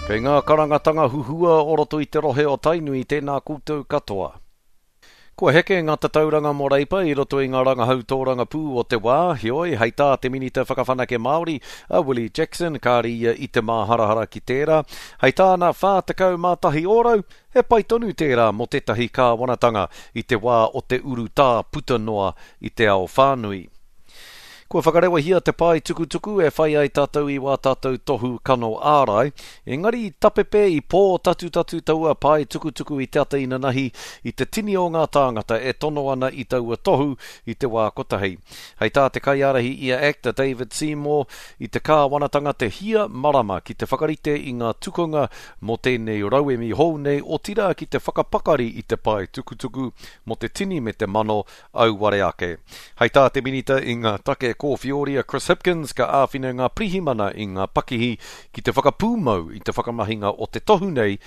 Kei ngā karangatanga huhua o roto i te rohe o Tainui tēnā koutou katoa. Kua heke ngā tatauranga mō Reipa i roto i ngā rangahau tōrangapū o te wā, heoi, hei tā te Minita Whakawhanake Māori, a Willie Jackson, kāre ia i te māharahara ki tērā. Hei tāna, 41 ōrau, he pai tonu tērā mō tētahi kāwanatanga i te wā o te urutā puta noa i te ao whānui. Kua whakarewahia te pae tukutuku e whai ai tātou i wā tātou tohu kano ārai, engari i tapepe, i pōtatutatu taua pae tukutuku i te ata inanahi i te tini o ngā tāngata e tono ana i taua tohu i te wā kotahi. Hei tā te kaiārahi i a act, a David Seymour, i te kāwanatanga te hia marama ki te whakarite i ngā tukunga mō tēnei rauemi hou nei, otirā ki te whakapakari i te pae tukutuku mō te tini me te mano auware ake. Hei tā te Minita i ngā take kōwhioria Chris Hipkins ka āwhina ngā pirihimana i ngā pakihi ki te whakapūmau i te whakamahinga o te tohu nei,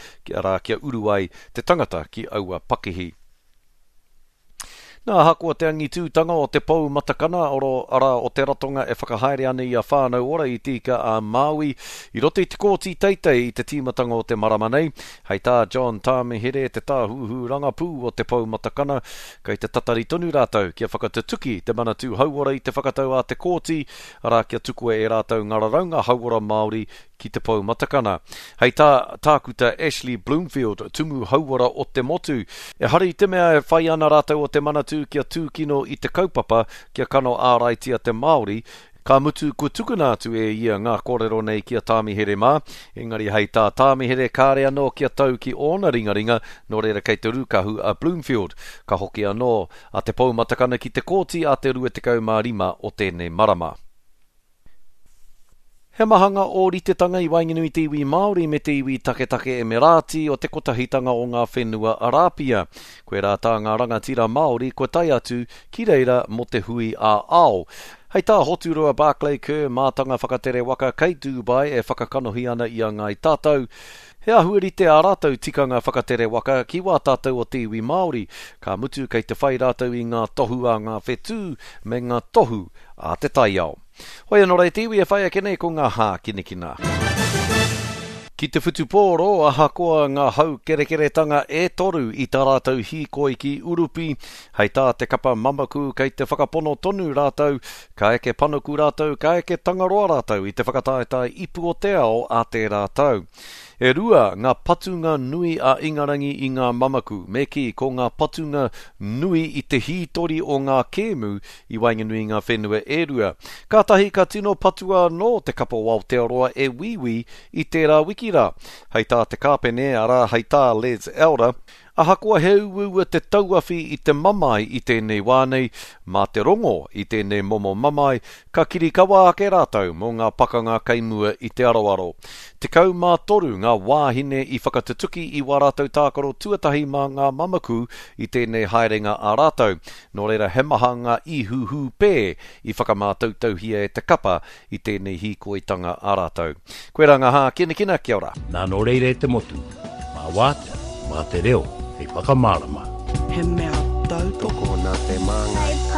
arā kia uru ai te tangata ki aua pakihi. Nā, ahakoa te angitūtanga o te pou matakana, oro, arā, o te ratonga e whakahaere ana i a Whānau Ora i Te Ika a Māui, i roto i te kōti teitei i te tīmatanga o te marama nei, hei tā John Tāmihere, te tāhuhu rangapū o te pou matakana, Kei te tatari tonu rātou kia whakatutuki te Manatū Hauora i te whakatau a te Kōti, arā kia tukua e rātou ngā raraunga hauora Māori ki te Pou Matakana. Hei tā Tākuta Ashley Bloomfield, Tumu Hauora o te motu, ehara i te mea e whai ana rātou o te Manatū kia tūkino i te kaupapa kia kano āraitia te Māori, Ka mutu, kua tukuna atu e ia ngā kōrero nei ki a Tāmihere mā, engari hei tā Tāmihere kāre anō kia tau ki ōna ringaringa, nō reira kei te rūkahu a Bloomfield. Ka hoki anō a Te Poumatakana ki te kōti a te 25 o tēnei marama. He maha ngā ōritetanga i waenganui i te iwi Māori me te iwi taketake Emerāti o te Kotahitanga o ngā Whenua Arāpia. Koirā tā ngā rangatira Māori kua tae atu ki reira mō te hui ā-ao. Hei tā Hoturoa Barclay Kerr, mātanga whakatere waka kei Dubai e whakakanohi ana i a Ngāi Tātou, he āhua rite ā rātou tikanga whakatere waka ki wā tātou o te iwi Māori, ka mutu kei te whai rātou i ngā tohu a ngā whetū me ngā tohu a te taiao. Hoi anō rā e te iwi e whai ake nei ko ngā hākinakina. Ki te whutupōro, ahakoa ngā haukerekeretanga e toru i tā rātou hīkoi ki Urupi, hei tā te kapa mamaku kei te whakapono tonu rātou, ka eke panuku rātou, ka eke Tangaroa rātou i te whakataetae ipu o te ao a tērā tau. E rua ngā patunga nui a Ingarangi i ngā mamaku, me kī ko ngā patunga nui i te hītori o ngā kēmu i waenganui i ngā whenua e rua. Kātahi ka tino patua anō te kapa o Aotearoa e Wīwī i tērā wiki rā. Hei tā te kāpene, arā, hei tā Les Elder, Ahakoa he uaua te tauawhi i te mamae i tēnei wā nei, mā te rongo i tēnei momo mamae, ka kirikawa ake rātou mō ngā pakanga kei mua i te aroaro. 13 ngā wāhine i whakatutuki i wā rātou tākaro tuatahi mā ngā mamaku i tēnei haerenga a rātou, nō reira he maha ngā ihu hūpē i whakamātautauhia e te kapa i tēnei hīkoitanga a rātou. Koirā ngā hākinakina, kia ora. Nā nō reira e te motu, mā wātea, mā te reo hei whakamārama. He mea tautoko. Tokona te māngai.